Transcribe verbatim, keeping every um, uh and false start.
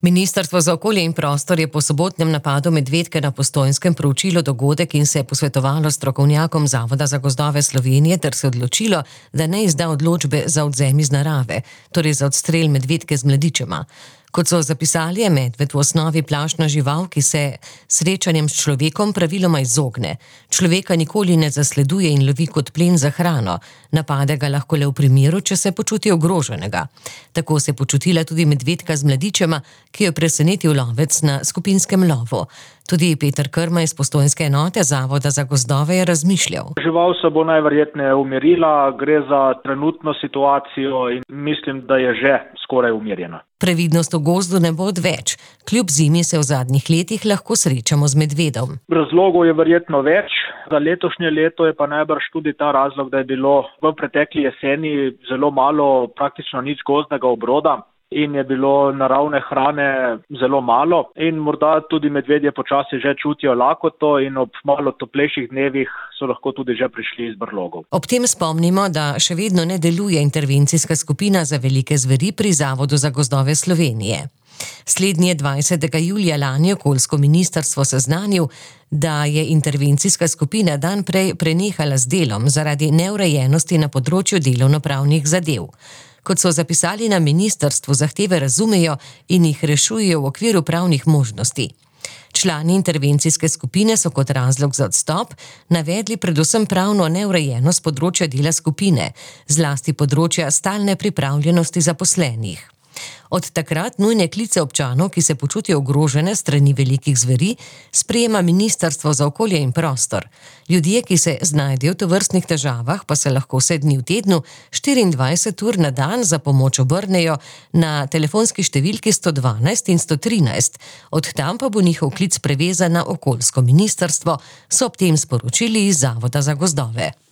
Ministrstvo za okolje in prostor je po sobotnem napadu medvedke na Postojnskem proučilo dogodek in se posvetovalo s strokovnjakom Zavoda za gozdove Slovenije ter se odločilo, da ne izda odločbe za odvzem iz narave, torej za odstrel medvedke z mladičema. Kot so zapisali, je medved v osnovi plašna žival, ki se srečanjem s človekom praviloma izogne. Človeka nikoli ne zasleduje in lovi kot plen za hrano. Napade ga lahko le v primeru, če se počuti ogroženega. Tako se je počutila tudi medvedka z mladičema, ki jo je presenetil lovec na skupinskem lovu. Tudi Peter Krma iz Postojnske enote Zavoda za gozdove je razmišljal. Žival se bo najverjetneje umirila, gre za trenutno situacijo in mislim, da je že skoraj umirjena. Previdnost v gozdu ne bo odveč. Kljub zimi se v zadnjih letih lahko srečamo z medvedom. Razlogov je verjetno več. Za letošnje leto je pa najbrž tudi ta razlog, da je bilo v pretekli jeseni zelo malo, praktično nič gozdnega obroda in je bilo naravne hrane zelo malo in morda tudi medvedje počasi že čutijo lakoto in ob malo toplejših dnevih so lahko tudi že prišli iz brlogov. Ob tem spomnimo, da še vedno ne deluje intervencijska skupina za velike zveri pri Zavodu za gozdove Slovenije. Slednji je dvajsetega julija lani okoljsko ministrstvo seznanil, da je intervencijska skupina dan prej prenehala z delom zaradi neurejenosti na področju delovnopravnih zadev. Kot so zapisali na ministrstvu, zahteve razumejo in jih rešujejo v okviru pravnih možnosti. Člani intervencijske skupine so kot razlog za odstop navedli predvsem pravno neurejenost področja dela skupine, zlasti področja stalne pripravljenosti zaposlenih. Od takrat nujne klice občanov, ki se počutijo ogrožene strani velikih zveri, sprejema Ministrstvo za okolje in prostor. Ljudje, ki se znajdejo v tovrstnih težavah, pa se lahko vse dni v tednu, štiriindvajset ur na dan za pomoč obrnejo na telefonski številki sto dvanajst in sto trinajst. Od tam pa bo njihov klic prevezan na okoljsko ministrstvo, so ob tem sporočili iz Zavoda za gozdove.